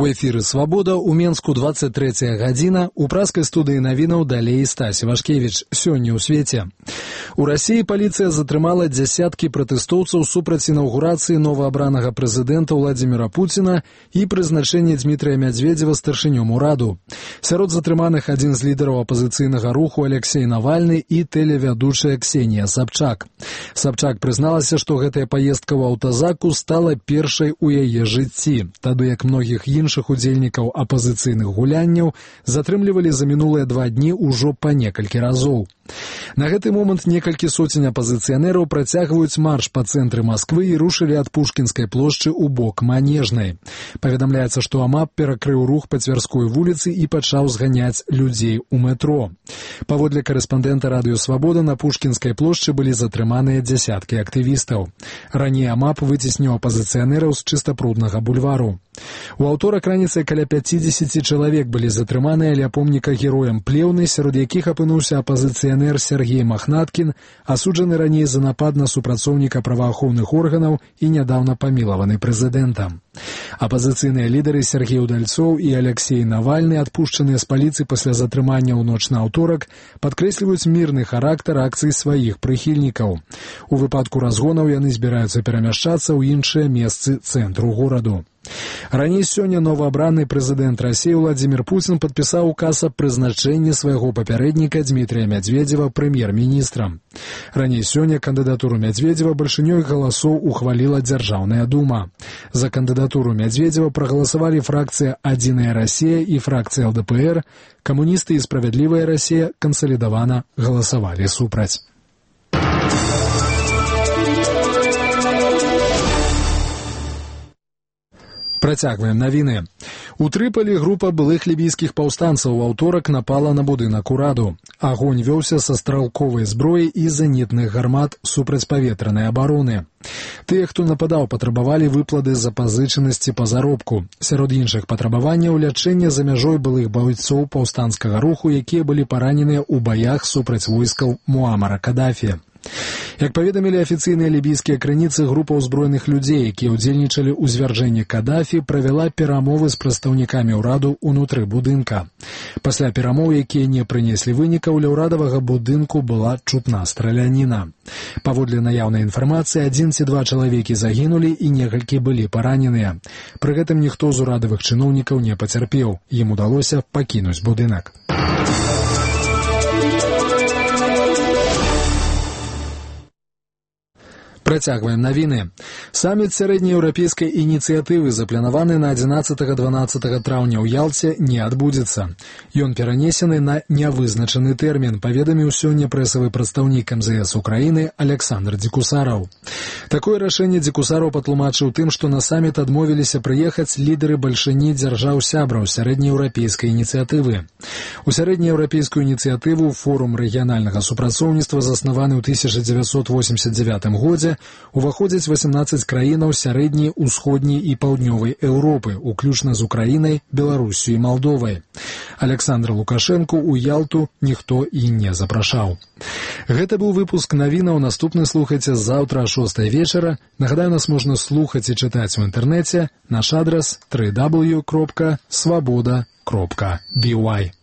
У эфіры «Свабода» у Менску 23 гадзіна. У праскай студыі навінаў далей Стась Івашкевіч. Сёння ў свеце. У Расіі паліцыя затрымала дзясяткі пратэстоўцаў супраць інаўгурацыі новаабранага прэзідэнта Владзіміра Пуціна і прызначэння Дмітрия Медведева старшынём ураду. Сярод затрыманых адзін з лідараў апазіцыйнага руху Алексей Навальны і тэлевядучая Ксенія Сабчак. Сабчак прызналася, што гэтая паездка ў аўтазаку стала першай у яе жыцці, тады як многіх іншых удзельнікаў апазіцыйных гулянняў затрымлівалі за мінулыя 2 дні ўжо па некалькі разоў. На гэты момант некалькі соцень апазіцыянераў працягваюць марш па цэнтры Масквы і рушылі ад Пушкінскай плошчы ў бок Манежнай. Паведамляецца, што АМАП перакрыў рух па Цвярской вуліцы і пачаў зганяць людзей у метро. Паводле карэспандэнта радыё «Свабода» на Пушкінскай плошчы былі затрыманыя дзясяткі актывістаў. Раней АМАП выцесніў апазіцыянераў з Чыстапруднага бульвару. У аўторак раніцай каля 50 чалавек былі затрыманыя ля помніка героям Плеўны, сярод якіх апынуўся апазіцыянер Сергей Махнаткін, асуджаны раней за напад на супрацоўніка праваахоўных органаў і нядаўна памілаваны прэзідэнтам. Апазіцыйныя лідары Сергей Удальцоў і Алексей Навальны, адпушчаныя з паліцыі пасля затрымання ў ноч на аўторак, падкрэсліваюць мірны характар акцый сваіх прыхільнікаў. У выпадку разгонаў яны збіраюцца перамяшчацца ў іншыя месцы цэнтру гораду. Раней сёння новаабраны прэзідэнт Расіі Владзімір Пуцін падпісаў указ аб прызначэнні свайго папярэдніка Дмітрия Медведева прэм'ер-міністрам. Раней сёння кандыдатуру Медведева бальшынёй галасоў ухваліла Дзяржаўная дума. За кандыдатуру Медведева прагаласавалі фракцыя «Адзіная Расія» і фракцыя ЛДПР, камуністы і «Справядлівая Расія» кансалідавана галасавалі супраць. Працягваем навіны. У Трыполі група былых лібійскіх паўстанцаў у аўторак напала на будынак ураду. Агонь вёўся са стралковай зброі і зенітных гармат супрацьпаветранай абароны. Тыя, хто нападаў, патрабавалі выплаты запазычанасці па заробку. Сярод іншых патрабаванняў лячэння за мяжой былых байцоў паўстанцкага руху, якія былі параненыя ў баях супраць войскаў Муамара Кадафі. Як паведамілі афіцыйныя лібійскія крыніцы, група ўзброеных людзей, якія ўдзельнічалі ў звяржэнні Кадафі, правяла перамовы з прадстаўнікамі ўраду ўнутры будынка. Пасля перамоў, якія не прынеслі вынікаў, ля ўрадавага будынку была чутна страляніна. Паводле наяўнай інфармацыі, 1 ці 2 чалавекі загінулі і некалькі былі параненыя. Пры гэтым ніхто з урадавых чыноўнікаў не пацярпеў. Ім удалося пакінуць будынак. Працягваем навіны. Саміт сярэднееўрапейскай ініцыятывы, запланаваны на 11-12 траўня ў Ялце, не адбудзецца. Ён перанесены на нявызначаны тэрмін, паведаміў сёння прэсавы прадстаўнік МЗС Украіны Александр Дзекусараў. Такое рашэнне Дзекусараў патлумачыў тым, што на саміт адмовіліся прыехаць лідары бальшыні дзяржаў-сябраў сярэднееўрапейскай ініцыятывы. У сярэднееўрапейскую ініцыятыву форум рэгіянальнага супрацоўніцтва, заснаваны ў 1989 годзе, уваходзяць 18 краінаў сярэдняй, усходняй і паўднёвай Еўропы, уключна з Украінай, Беларусю і Малдовай. Александра Лукашэнку ў Ялту ніхто і не запрашаў. Гэта быў выпуск навінаў. Наступны слухайце заўтра о 6 вечара. Нагадаю, нас можна слухаць і чытаць у інтэрнэце. Наш адрас www.swaboda.by.